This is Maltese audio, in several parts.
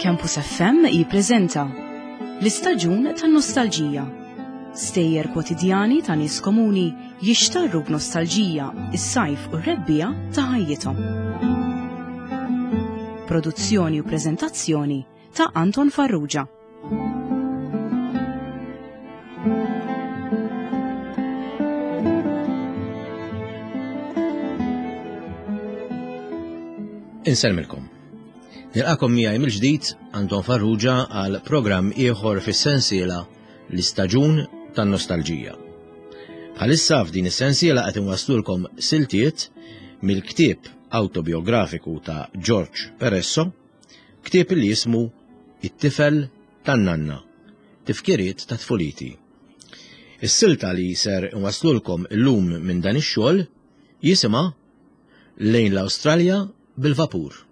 Campus FM jippreżenta L-istaġun tan-nostalġija. Stejjer kwotidjani ta' nies komuni jixtarru b'nostalġija is-sajf u r-rebbiegħa ta' ħajjithom. Produzzjoni u preżentazzjoni ta' Anton Farrugia. Insellmilkom. Nilqakom miegħi mill-ġdid Anton Farrugia għal programm ieħor fis-sensiela l-istaġun tan-nostalġija. Bħalissa f'din is-sensiela qed inwaslulkom siltiet mill-ktieb autobiografiku ta' George Peresso Ktieb li jismu It-tifel tan-nanna, tifkiriet ta' tfuliti. Is-silta li ser inwaslulkom illum minn dan ix-xogħol jisimha Lejn l-Awstralja bil-vapur.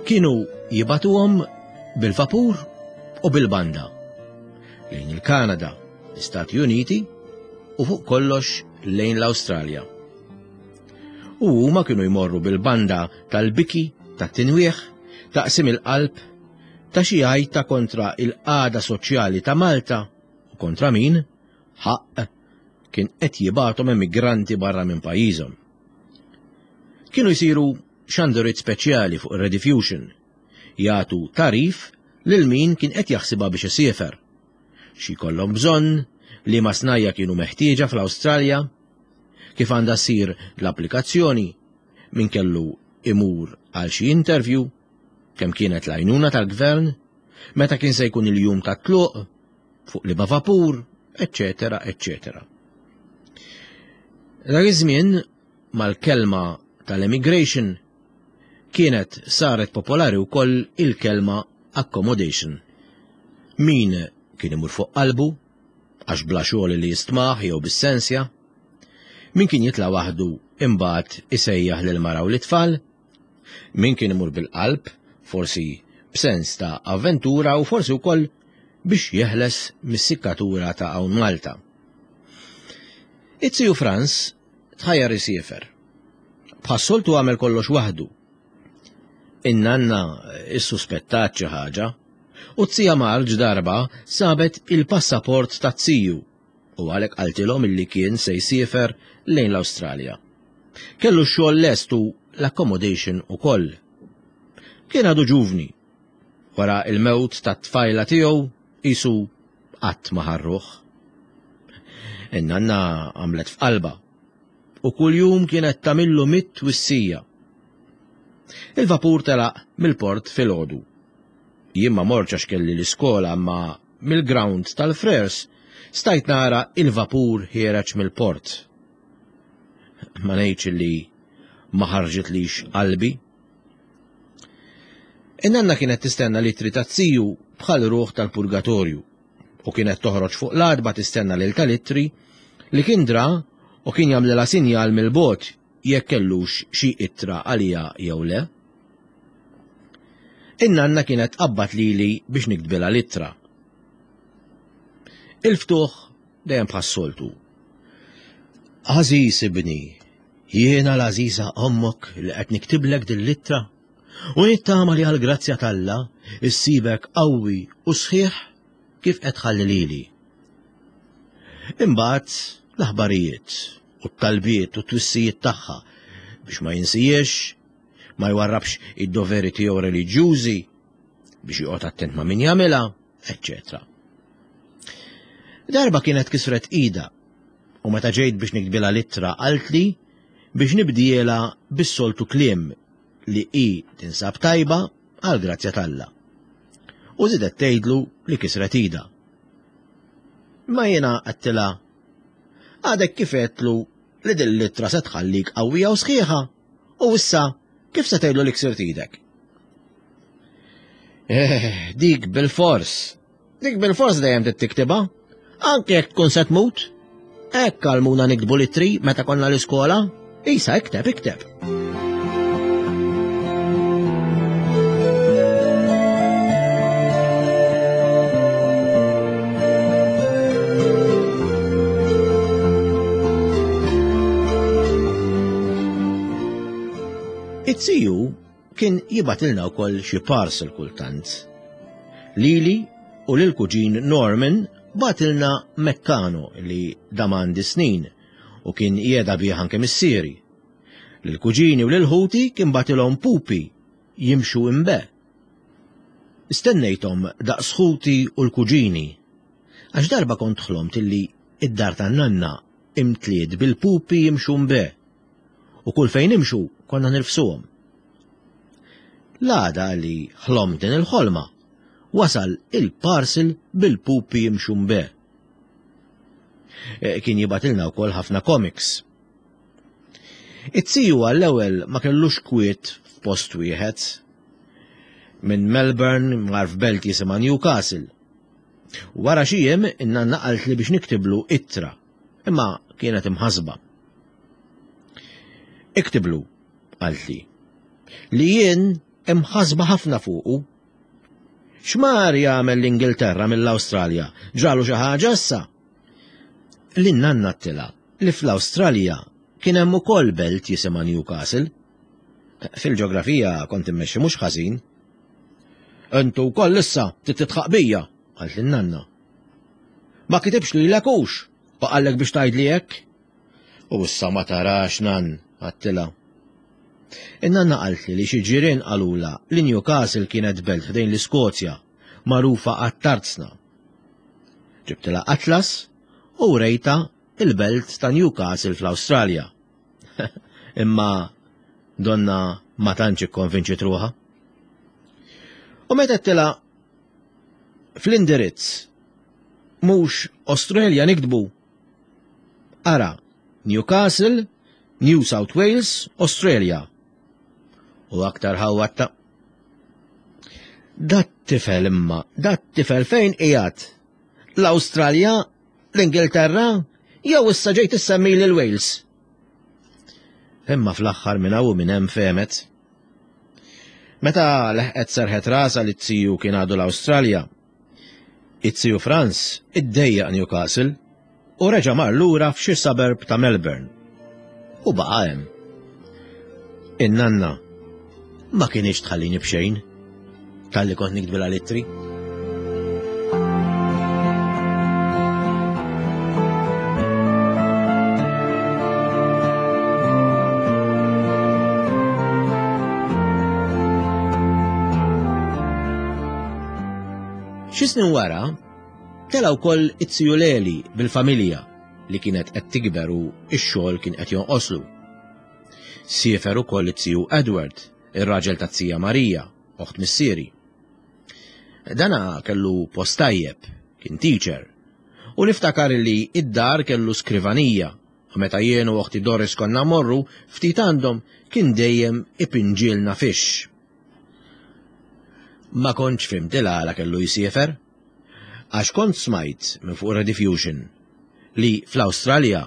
Kienu jibatuhom bil-vapur u bil-banda lejn il-Kanada, l-Istati Uniti u fuq kollox lejn l-Awstralja. U huma kienu jmorru bil-banda tal-biki, tat-tinwieħ, taqsim il-qalb, ta' xi għajta kontra il-qagħda soċjali ta' Malta u kontra min, ħaqq, kien qed jibgħathom emigranti barra minn pajjiżhom. Kienu jsiru xanduriet speċjali fuq ir-Rediffusion, jagħtu tagħrif lil min kien qed jaħsibha biex isiefer. Xi jkollhom bżonn, liema snajja kienu meħtieġa fl-Awstralja, kif għandha ssir l-applikazzjoni, min kellu imur għal xi interview, kemm kienet l-għajnuna tal-gvern, meta kien se jkun il-jum tat-tluq, fuq liema vapur, eċċetera, eċċetera. Dak iż-żmien mal-kelma tal-emigration kienet saret popolari wkoll il-kelma accommodation. Min kien imur fuq qalbu, għax bla xogħol li jistmah jew bis-sensja, min kien jitla' waħdu imbagħad isejjaħ lil mara u lit-tfal, min kien imur bil-qalb, forsi b'sens ta' avventura u forsi wkoll biex jeħles mis-sikkatura ta' hawn Malta. It-tiju Frans tħajjar isiefer. Bħas-soltu għamel kollox waħdu. In-nanna issuspettat xi ħaġa u t-tija Marġ darba sabet il-passaport tat-tiju u għalhekk qaltilhom illi kien se jsiefer lejn l-Awstralja. Kellu x-xogħol lest u l-accommodation ukoll. Kien għadu ġuvni. Wara il-mewt tat-tfajla tiegħu qisu qatt ma ħarruh. In-nanna għamlet f'qalbha u kuljum kienet tagħmillu mit twissija. Il-vapur telaq mill-port filgħodu. Jien ma mortx għax kelli l-iskola imma mill-ground tal-Frers stajt nara il-vapur ħiereġ mill-port. Ma ngħidx li ma ħarġitlix qalbi. In-nanna kienet tistenna l-ittri taz-ziju bħal ruħ tal-purgatorju u kienet toħroġ fuq l-għatba tistenna lil tal-ittri li kien dra u kien jagħmlilha sinjal mill-bogħod jekk kellux xi ittra għaliha jew le. In-nanna kienet tqabbad lili biex niktbilha l-ittra. Il-ftuħ dejjem bħas-soltu. Għażiż ibni, jiena l-għażiża ommok li qed niktiblek din l-ittra u nittama li għall-grazzja t'Alla issibek qawwi u sħiħ kif qed tħalli lili. Imbagħad l-aħbarijiet u t-talbiet u t-twissijiet tagħha biex ma jinsijiex, ma jwarrabx id-doveri tiegħu reliġjużi, biex joqgħod attent ma' min jagħmilha, eċċetera. Darba kienet kisret ida u meta ġejt biex niktbilha l-ittra qaltli biex nibdielha bis-soltu kliem li hi tinsab tajba għal grazzja t'Alla. U żidet tgħidlu li kisret idha. Imma jiena għedtilha, għadek kif għedtlu li din l-ittra se tħallik qawwija u sħiħa u issa kif se tgħidlu li ksirt idek? Eh, dik bil-fors. Dik bil-fors dejjem trid tiktibha. Anke jekk tkun se tmut. Hekk għalmuna niktbu l-ittri meta konna l-iskola. Isa ikteb, ikteb. It-siju kien jibatilna wkoll xi parcel kultant. Lili u lil kuġin Norman batilna Meccano li dam għandi snin u kien jeda bih anke missieri. Lil kuġini u lil ħuti kien batilhom pupi jimxu imbe. Stennejthom daqs ħuti u l-kuġini. Għax darba kont ħlomt illi id-dar tan-nanna imtliet bil-pupi jimxu mbe u kull fejn nimxu konna nirfsuhom. L-għada li ħlomt din il-ħolma, wasal il-parcel bil-pupi jimxu mbe. E, kien jibatilna wkoll ħafna comics. It-tiju għall-ewwel ma kellux kwiet f'post wieħed. Minn Melbourne mar f'belt jisimha Newcastle. Wara xi jiem in-nanna qaltli biex niktiblu ittra, imma kienet imħasba. Iktiblu, qaltli, li jien imħasba ħafna fuqu. X'mar jagħmel l-Ingilterra mill-Awstralja? Ġralu xi ħaġa issa? Lin-nanna għedtilha li fl-Awstralja kien hemm ukoll belt jisimha Newcastle. Fil-ġeografija kont immexxi mhux ħażin. Intu wkoll issa trid titħaq bija, qalt lin-nanna. Ma kitibx lilek hux, u qallek biex tgħidli hekk. U issa ma tarax nan, għattilha. In-nanna qaltli li xi ġirien qalulha li Newcastle kienet belt ħdejn l-Iskozja, magħrufa għat-tarzna. Ġibtilha atlas u wrejtha il-belt ta' Newcastle fl-Awstralja. Imma donna ma tantx ikkonvinċiet ruħha. U meta għedtilha fl-indirizz mhux Australia niktbu. Ara, Newcastle, New South Wales, Australia. U aktar ħawwatta. Dat tifel imma, dat tifel fejn qiegħed? L-Awstralja, l-Ingilterra, jew issa ġejt issemmi lil Wales? Imma fl-aħħar minn hawn u minn hemm fehmet. Meta leħqet serħet rasha li t-tiju kien għadu l-Awstralja, it-tiju Franz iddejjaq Newcastle u reġa' mar lura f'xi suburb ta' Melbourne. U baqa' hemm. In-nanna ma kinitx tħallini b'xejn talli kont niktbilha l-ittri. Xi snin wara, tela' wkoll it-tiju Leli bil-familja li kienet qed tikber u x-xogħol kien qed jonqoslu. Siefer ukoll it-tiju Edward, ir-raġel tat-tija Marija, oħt missieri. Dana kellu post tajjeb, kien teacher, u niftakar li id-dar kellu skrivanija u meta jien u oħti Doris konna mmorru ftit għandhom kien dejjem ipinġielna fix. Ma kontx fhimt il-għala kellu jsiefer, għax kont smajt minn fuq Rediffusion li fl-Awstralja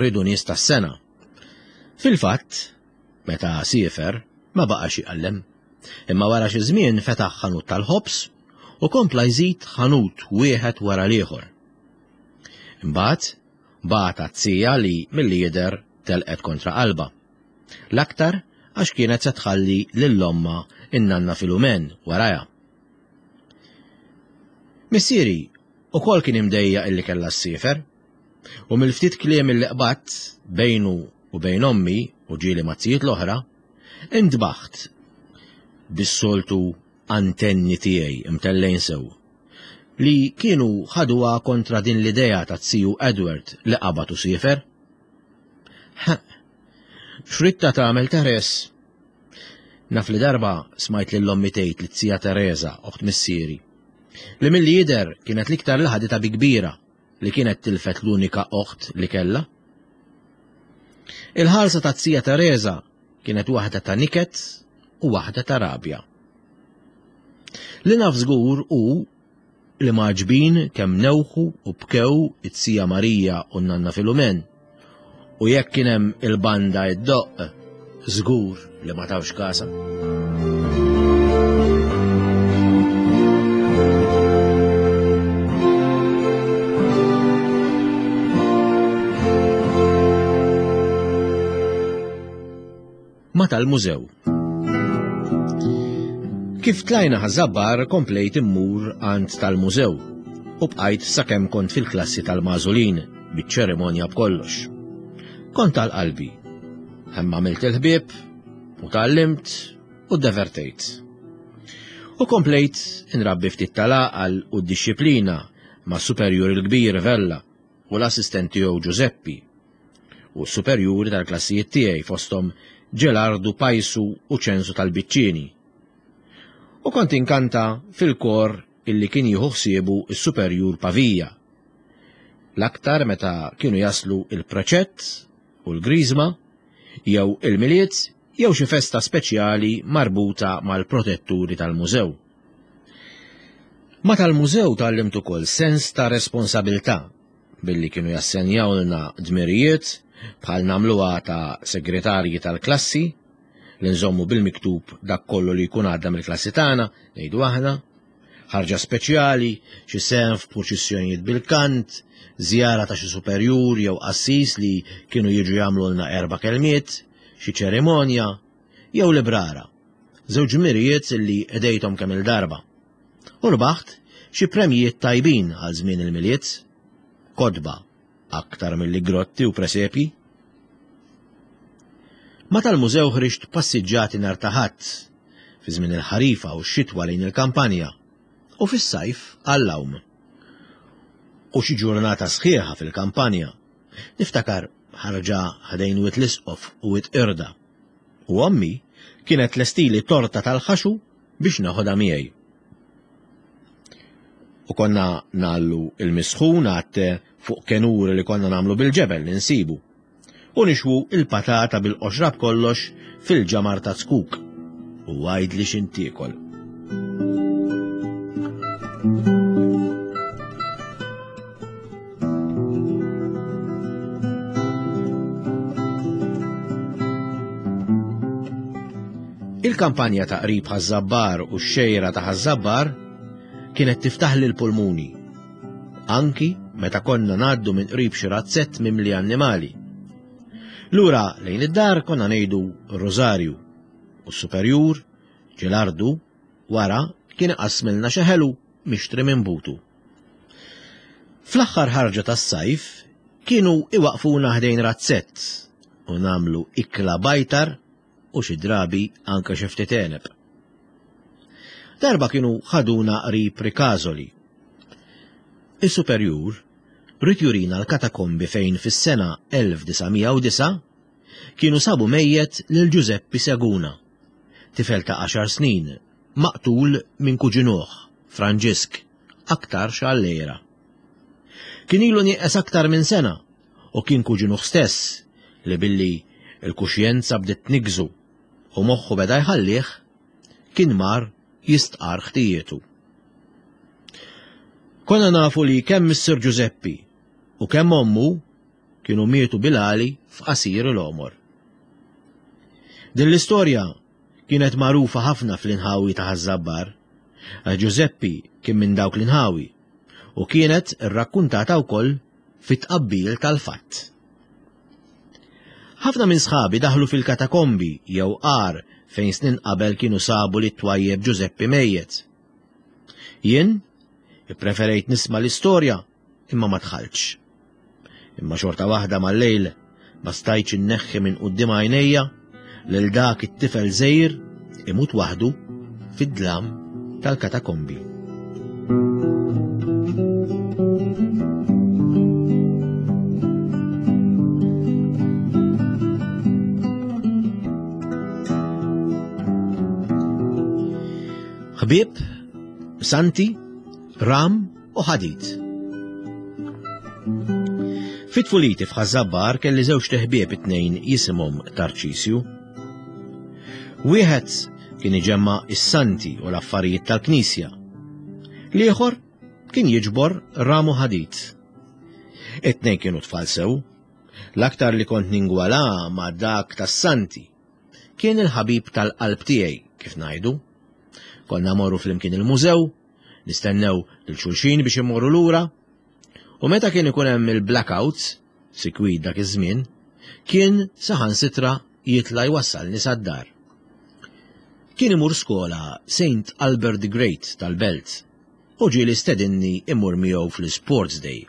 riedu nies tas-sengħa. Fil-fatt, meta siefer ma baqax jqallem, imma wara xi żmien fetaħ ħanut tal-ħobż u kompla jżid ħanut wieħed wara l-ieħor. Imbagħad bagħat għat-tija li milli jidher telqet kontra qalbha. L-aktar għax kienet se tħalli lil ommha in-nanna Filumen warajha. Missieri ukoll kien imdejjaq illi kellha ssiefer, u mill-ftit kliem illi qbadt bejnu u bejn ommi u ġieli mat-tzijiet l-oħra, intbaħt bis-soltu antenni tiegħi mtellgħin sew, li kienu ħaduha kontra din l-idea ta' ziju Edward li qabad u siefer. Ħeqq, x'ridtha tagħmel Therese? Naf li darba smajt lil ommi tgħid lit-zija Tereża, oħt missieri, li milli jidher kienet l-iktar li ħaditha bi kbira li kienet tilfet l-unika oħt li kellha. Il-ħarsa taz-zija Tereża kienet waħda ta' niket u waħda ta' rabja. Li naf żgur hu li mgħaġġbin kemm newħu u bkew it-zija Marija u n-nanna Filumen, u jekk kien hemm il-banda iddoqq, żgur li ma tawx kasha. Ma tal-mużew. Kif tlajna Ħaż-Żabbar komplejt immur għand tal-mużew u bqajt sakemm kont fil-klassi tal-magħżulin biċ-ċerimonja b'kollox. Kont għal qalbi. Hemm għamilt il-ħbieb u tgħallimt u ddevertejt. U komplejt inrabbi ftit tal-għaqal u d-dixxiplina ma' superjur il-kbir Vella u l-assistent tiegħu Ġużeppi u s-superjuri tal-klassijiet tiegħi fosthom Ġelardu Pajsu u Ċensu tal-Biċċieni. U kont inkanta fil-kor illi kien jieħu ħsiebu s-superjur Pavija. L-aktar meta kienu jaslu il-preċett u l-griżma jew il-Milied jew xi festa speċjali marbuta mal-protetturi tal-mużew. Ma tal-mużew tgħallimt ukoll sens ta' responsabilità billi kienu jassenjawlna dmirijiet bħal nagħmluha ta' segretarji tal-klassi li nżommu bil-miktub dak kollu li jkun għadda mill-klassi tagħna, ngħidu aħna, ħarġa speċjali, xi sehem f'purċissjonijiet bil-kant, żjara ta' xi superjur jew qassis li kienu jiġu jagħmlulna erba' kelmiet, xi ċerimonja, jew librara. Żewġ dmirijiet li qdejthom kemm-il darba. U rbaħt xi premjijiet tajbin għal żmien il-Milied, kotba aktar milli grotti u presepji. Ma tal-mużew ħriġt passiġġati nhar ta' Ħadd, fi żmien il-ħarifa u x-xitwa lejn il-kampanja, u fis-sajf għall-għawm. U xi ġurnata sħiħa fil-kampanja. Niftakar ħarġa ħdejn Wied l-Isqof u Wied Qirda. U ommi kienet tlestili torta tal-ħaxu biex neħodha miegħi. U konna nagħllu il-misħun għat-te fuq kenuri li konna nagħmlu bil-ġebel li nsibu. U nixwu il-patata bil-qoxra b'kollox fil-ġamar ta' zkuk. U għajdli x'intiekol. Il-kampanja ta' qrib Ħaż-Żabbar u x-xejra ta' Ħaż-Żabbar kienet tiftaħli l-pulmuni. Anki meta konna ngħaddu minn qrib xi razzett mimli annimali. Lura lejn id-dar konna ngħidu r-Rużarju u s-Superjur, Ġelardu, wara kien iqassmilna xi ħelu mixtri minn butu. Fl-aħħar ħarġa tas-sajf kienu iwaqfuna ħdejn razzett u nagħmlu ikla bajtar u xi drabi anke xi ftit għeneb. Darba kienu ħaduna qrib Ricasoli. Is-superjur ried jurina l-katakombi fejn fis-sena 1909 kienu sabu mejjet lil Ġużeppi Seguna, tifel ta' għaxar snin, maqtul minn kuġinuh, Franġisk, aktarx għall-għira. Kien ilu nieqes aktar minn sena u kien kuġinuh stess li billi l-kuxjenza bdiet tniggżu u moħħu beda jħallih, kien mar jistqarr ħtijietu. Konna nafu li kemm Missier Ġużeppi u kemm ommu kienu mietu bil-għali f'qasir il-għomor. Din l-istorja kienet magħrufa ħafna fl-inħawi ta' Ħaż-Żabbar, għax Ġużeppi kien minn dawk l-inħawi u kienet irrakkuntata wkoll fit-tqabbil tal-fatt. Ħafna minn sħabi daħlu fil-katakombi jew għar fejn snin qabel kienu sabu li twajjeb Ġużeppi mejjet. Jien ippreferejt nisma' l-istorja imma ma dħaltx. Imma xorta waħda mal-lejl ma stajtx inneħħi minn quddiem għajnejja lil dak it-tifel żgħir imut waħdu fid-dlam tal-katakombi. Ħbieb, santi, ram u ħadid. Fit-tfuliti f'Ħaż-Żabbar kelli żewġ teħbieb it-tnejn jisimhom Tarċisju. Wieħed kien iġemma' is-santi u l-affarijiet tal-knisja. L-ieħor kien jiġbor ram u ħadid. It-tnejn kienu tfal sew. L-aktar li kont ningwala ma' dak tas-santi. Kien il-ħabib tal-qalb tiegħi, kif ngħidu. Konna morru flimkien il-mużew, nistennew lil xulxin biex immorru lura, u meta kien ikun hemm il-blackouts, sikwit dak iż-żmien, kien saħansitra jitla' jwassalni sad-dar. Kien imur skola Saint Albert the Great tal-Belt u ġieli stedinni immur miegħu fl-Sports Day.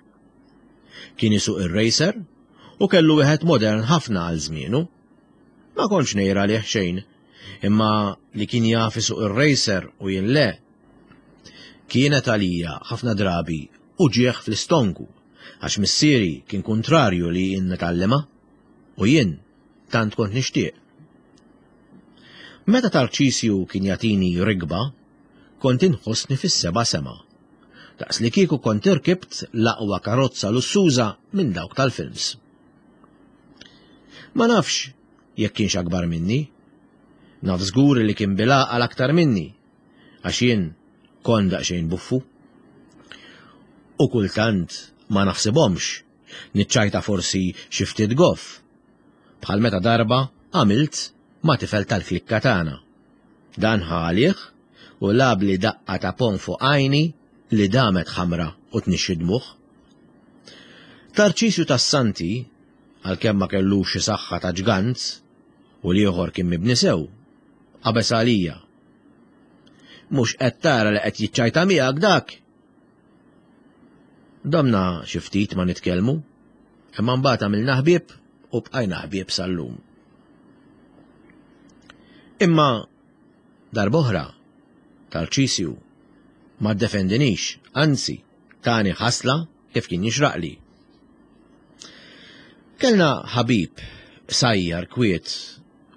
Kien isuq ir-racer u kellu wieħed modern ħafna għal żmienu. Ma kontx ngħir għalih xejn, imma li kien jaf isuq ir-racer u jien le, kienet għalija ħafna drabi uġigħ fl-istonku għax missieri kien kuntrarju li jien nitgħallimha u jien tant kont nixtieq. Meta Tarċisju kien jagħtini rikba, kont inħossni fis-seba' sema. Daqs li kieku kont irkibt l-aqwa karozza lussuża minn dawk tal-films. Ma nafx jekk kienx akbar minni. Naf żgur li kien bil-għaqal aktar minni, għax jien kont daqsxejn buffu. U kultant ma naħsibhomx, niċċajta forsi xi ftit goff. Bħal meta darba għamilt ma' tifel tal-klikka tagħna. Dan ħa għalih u lagħabli daqqa ta' ponn fuq għajni li damet ħamra u tnixxi dmugħ. Tarċisju tas-Santi, għalkemm ma kellux xi saħħa ta' ġgant u l-ieħor kien mibni sew, qabeż għalija. Mhux qed tara li qed jiċċajta miegħek dak? Domna xi ftit ma nitkellmu, imma mbagħad għamilna ħbieb u bqajna ħbieb sal-lum. Imma darb'oħra Tarċisju ma ddefendinix, anzi tani ħasla kif kien jixraqli. Kellna ħabib qsajjar kwiet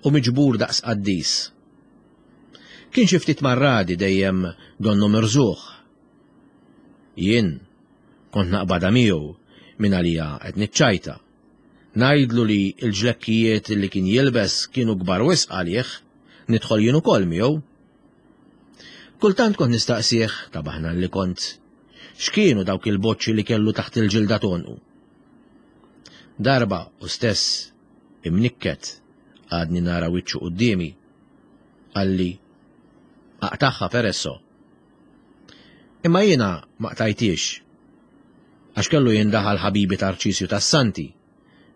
u miġbur daqs qaddis. Kien xi ftit marradi dejjem donnu mirżugħ. Jien kont naqbadha miegħu minn għalija qed niċċajta. Ngħidlu li l-ġlekkijiet li kien jilbes kienu kbar wisq għalih, nidħol jien ukoll miegħu. Kultant kont nistaqsih, ta' baħnan li kont, x'kienu dawk il-boċċi li kellu taħt il-ġilda t'għonqu. Darba u stess imnikket għadni nara wiċċu quddiemi, qalli, Aqtagħha Peresso. Imma jiena ma qtajthiex, għax kellu jindaħal ħabibi Tarċisju tas-Santi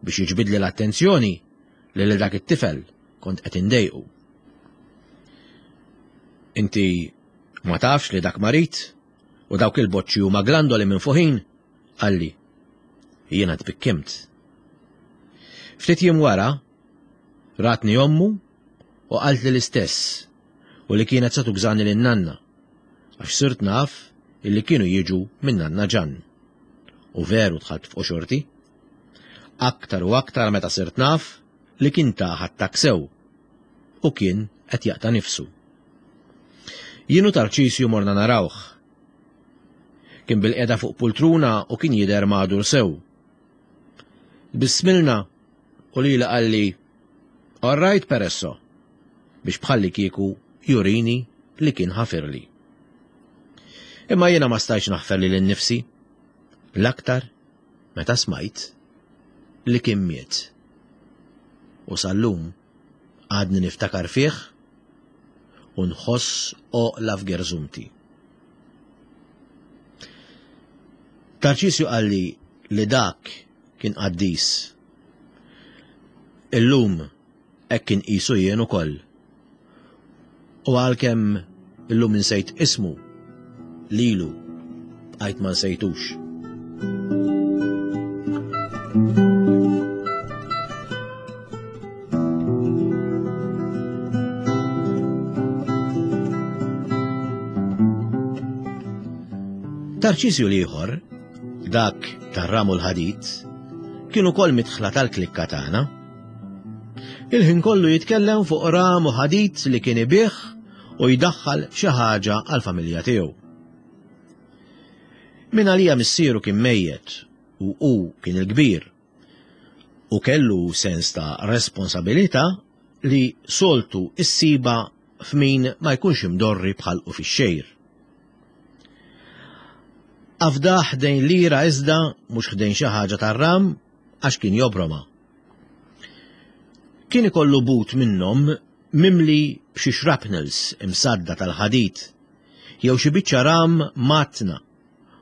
biex jiġbidli l-attenzjoni li lil dak it-tifel kont qed indejqu. Inti ma tafx li dak marid u dawk il-boċċi huma glandoli minfuħin? Qalli. Jiena tbikkimt. Ftit jiem wara, ratni ommu u qaltli l-istess u li kienet se tugżani lin-nanna għax sirt naf illi kienu jiġu minn nanna Ġann. U veru dħalt f'qoxorti. Aktar u aktar meta sirt naf li kien tah attakk sew u kien qed jaqta' nifsu. Jien u Tarċisju morna narawh. Kien bilqiegħda fuq pultruna u kien jidher magħdur sew. Tbissmilna u lili qalli, All right Peresso, biex bħallikieku jurini li kien ħafirli. Imma jiena ma stajtx naħfer lili nnifsi, l-aktar meta smajt li kien miet. U sal-lum għadni niftakar fih u nħoss għoqla f'gerżumti. Tarċisju qalli li dak kien qaddis. Illum hekk inqisu jien ukoll. U għalkemm illum insejt ismu, lilu bqajt ma nsejtux. Tarċisju l-ieħor, dak tar-ram u l-ħadid, kien ukoll midħla tal-klikka tagħna. Il-ħin kollu jitkellem fuq ram u ħadid li kien ibigħ u jdaħħal xi ħaġa għall-familja tiegħu. Min għalija missieru kien mejjet u hu kien il-kbir u kellu sens ta' responsabilità li soltu issibha f'min ma jkunx imdorri bħalqu fix-xejr. Afdah ħdejn lira iżda mhux ħdejn xi ħaġa tar-ram għax kien jobroma. Kien ikollu but minnhom mimli b'xi shrapnels imsadda tal-ħadid jew xi biċċa ram mgħattna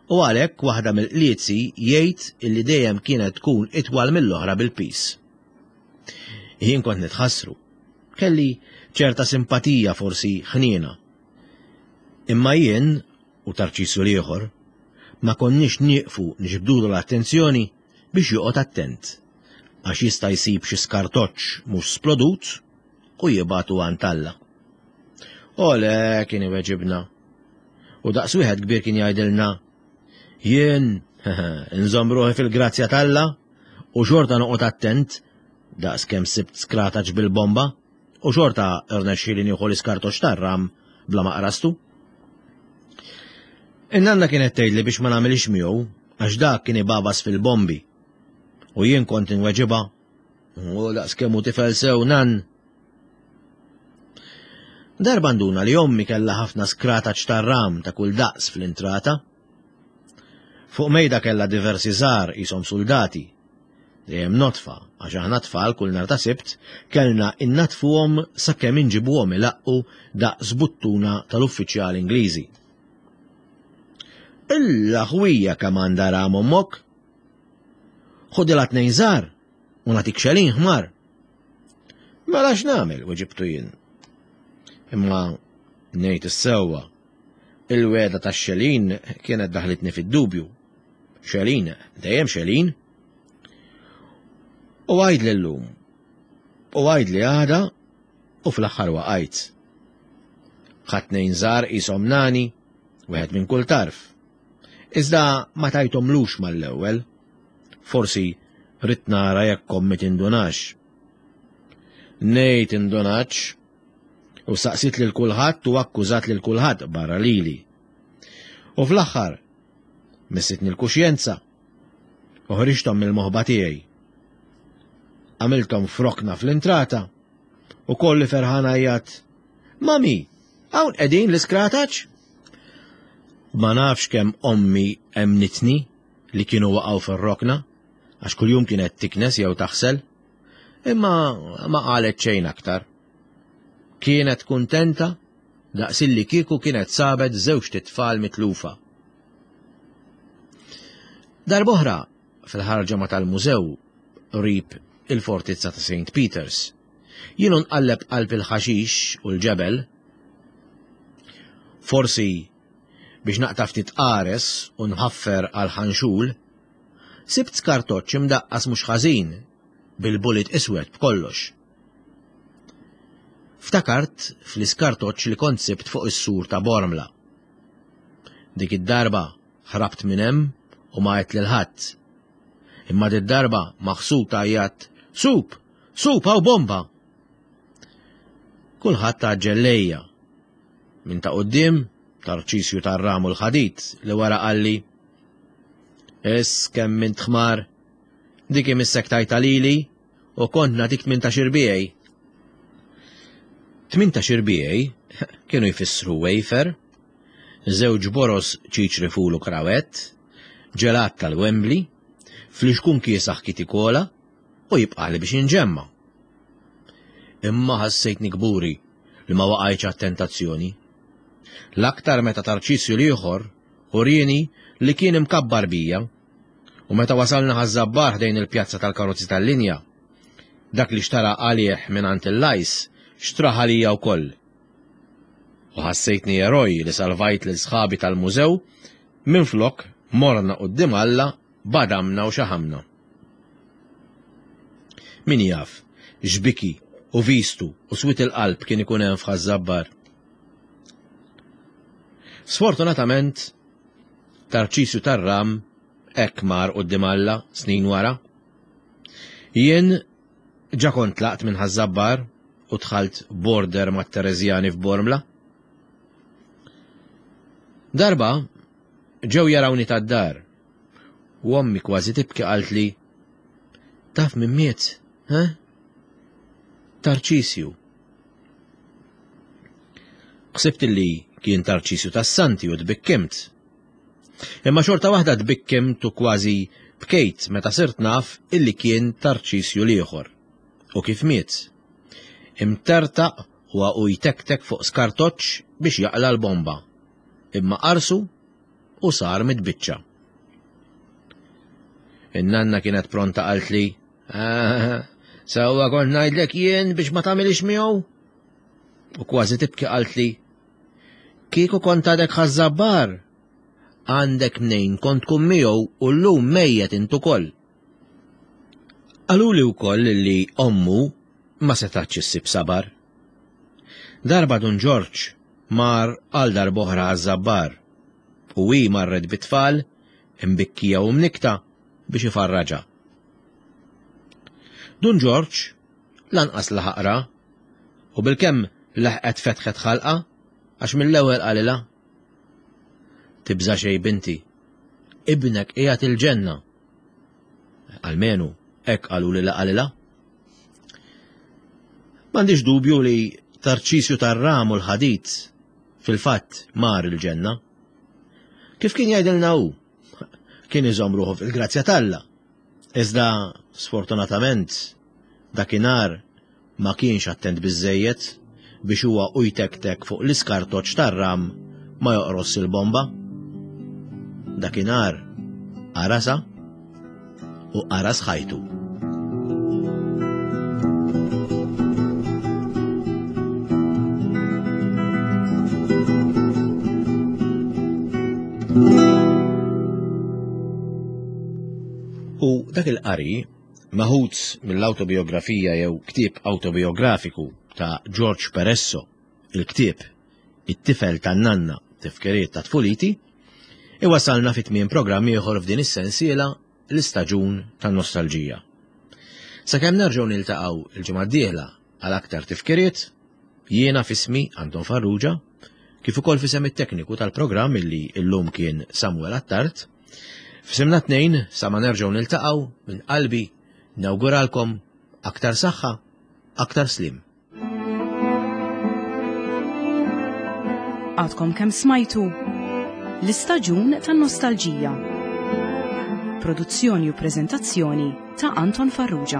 u għalhekk waħda mill-qliezi jgħid illi dejjem kienet tkun itwal mill-oħra bil-piż. Jien kont nitħassru. Kelli Ċerta simpatija forsi ħniena. Imma jien u Tarċisju l-ieħor ma konniex nieqfu niġbdulu l-attenzjoni biex joqgħod attent għax jista' jsib xi skartoċċ mhux splodut u jibgħatu għand Alla. Ole kien iweġibna. U daqs wieħed kbir kien jgħidilna jien nżomm ruħi fil-grazzja t'Alla u xorta noqgħod attent daqs kemm sibt skrataċ bil-bomba u xorta rnexxieli nieħu l-iskartoċ tar-ram bla ma qrastu. In-nanna kienet tgħidli biex ma nagħmilx miegħu għax dak kien ibabas fil-bombi. U jien kont inweġibha u daqs kemm hu tifel sew nan. Darba nduna li ommi kellha ħafna skrataċ tar-ram ta' kull daqs fl-intrata. Fuq mejda kellha diversi żgħar qishom suldati. Dejjem nodfa, għax aħna tfal kull nhar ta' Sibt kellna innaddfuhom sakemm inġibuhom ilaqqu daqs buttuna tal-uffiċjali Ingliżi. Illa ħwija kemm għandha ram ommok! Ħudilha tnejn żgħar u nagħtik xelin ħmar. Mela x'nagħmel, weġibtu jien. Imma ngħid is-sewwa, il-wegħda tax-xelin kienet daħlitni fid-dubju. Xelin, dejjem xelin. U għajd l-lum, u għajd li għada, u fl-aħħar waqajt. Ħadd nejn żgħar qishom nani, wieħed minn kull tarf. Iżda ma tajtomlux mal-ewwel. Forsi rrid nara jekk ommi tindunax. Ngħid indunax u saqsit lil kulħadd u akkużat lil kulħadd barra lili. U fl-aħħar Missitni l-kuxjenza u ħriġthom mill-moħba tiegħi. Għamilthom f'rokna fl-intrata u kolli ferħan għajjat, Mami, hawn qegħdin l-iskrataċ? Ma nafx kemm ommi emnitni li kienu waqgħu fir-rokna għax kuljum kienet tiknes jew taħsel, imma ma qalet xejn aktar. Kienet kuntenta daqsilli kieku kienet sabet żewġt itfal mitlufa. Darb'oħra, fil-ħarġa ma tal-mużew qrib il-fortizza ta' St. Peters, jien nqalleb qalb il-ħaxix u l-ġebel, forsi biex naqta' ftit qares u nħaffer għal ħanxul, sibt skartoċċ imdaqqas mhux ħażin bil-bullet iswed b'kollox. Ftakart fl-iskartoċċ li kont sibt fuq is-sur ta' Bormla. Dik id-darba ħrabt minn hemm u ma għedt lil ħadd. Imma did-darba maħsud għajjatt, Sup! Sup hawn bomba! Kulħadd għaġġel lejja. Minn ta' quddiem, Tarċisju tar-ram u l-ħadid li wara qalli, Iss kemm int ħmar, dik imissek tajtha lili u kont nagħtik 18 irbiegħi. 18 irbiegħi kienu jfissru wafer, żewġ boroż ċiċri ful u krawett, ġelat tal-Wembley, flixkun kiesaħ Kitty Cola u jibqagħli biex inġemma'. Imma ħassejtni kburi li ma waqajtx għat-tentazzjoni. L-aktar meta Tarċisju l-ieħor urieni li kien imkabbar bija u meta wasalna Ħaż-Żabbar ħdejn il-pjazza tal-karozzi tal-linja, dak li xtara għalih mingħand il-Lajs xtrah għalija wkoll. U ħassejtni eroj li salvajt lil sħabi tal-mużew minflok morna quddiem Alla badamna u xaħamna. Min jaf x'biki u vistu u swied il-qalb kien ikun hemm f'Ħaż-Żabbar. Sfortunatament, Tarċisju tar-Ram hekk mar quddiem Alla snin wara. Jien Ġa kont tlaqt minn Ħaż-Żabbar u dħalt border mat-Tereżjani f'Bormla. Darba ġew jarawni tad-dar u ommi kważi tibki qaltli, Taf min miet, he? Tarċisju. Ħsibt li kien Tarċisju tas-Santi u tbikkimt. Imma xorta waħda tbikkimt u kważi bkejt meta sirt naf illi kien Tarċisju l-ieħor. U kif miet. Imtertaq u u jtektek fuq skartoċċ biex jaqla' l-bomba. Imma qarsu u sar mitbiċċa. In-nanna kienet pronta qaltli, ah, sewwa kont ngħidlek jien biex ma tagħmilix miegħu. U kważi tibki qaltli, Kieku kont għadek ħaż-żabbar, għandek mnejn kont tkun miegħu u llum mejjet int ukoll. Qaluli wkoll li ommu ma setgħetx issib sabar. Darba Dun Ġorġ mar għal darb'oħra għaż-żabbar u hi marret bit-tfal imbikkija u mnikkta biex ifarraġha. Dun Ġorġ lanqas laħaq ra u bilkemm leħqet fetħet ħalqha għax mill-ewwel qalilha, Tibża' xejn binti, ibnek qiegħed il-ġenna. Almenu hekk qaluli li qalilha. M'għandix dubju li Tarċisju tar-ram u l-ħadid fil-fatt mar il-ġenna. Kif kien jgħidilna hu, kien iżomm ruħu fil-grazzja t'Alla. Iżda, sfortunatament, dakinhar ma kienx attent biżżejjed biex huwa u jtektek fuq l-iskartoċċ tar-ram ma joqross il-bomba. Dakinhar qarasha u qaras ħajtu. U dak il-qari, meħud mill-awtobiografija jew ktieb awtobijografiku ta' George Peresso, il-ktieb It-tifel tan-nanna, tifkiriet ta' tfuliti, iwasalna fi tmiem programm ieħor f'din is-sensiela l-istaġun tan-nostalġija. Sakemm nerġgħu niltaqgħu l-ġimgħa d-dieħla għal aktar tifkiriet, jiena f'ismi Anton Farrugia, kif ukoll f'isem it-tekniku tal-programm illi llum kien Samuel Attard, f'isimna tnejn sa ma nerġgħu niltaqgħu minn qalbi nawguralkom aktar saħħa, aktar sliem. Għadkom kemm smajtu l-istaġun tan-nostalġija. Produzzjoni u preżentazzjoni ta' Anton Farrugia.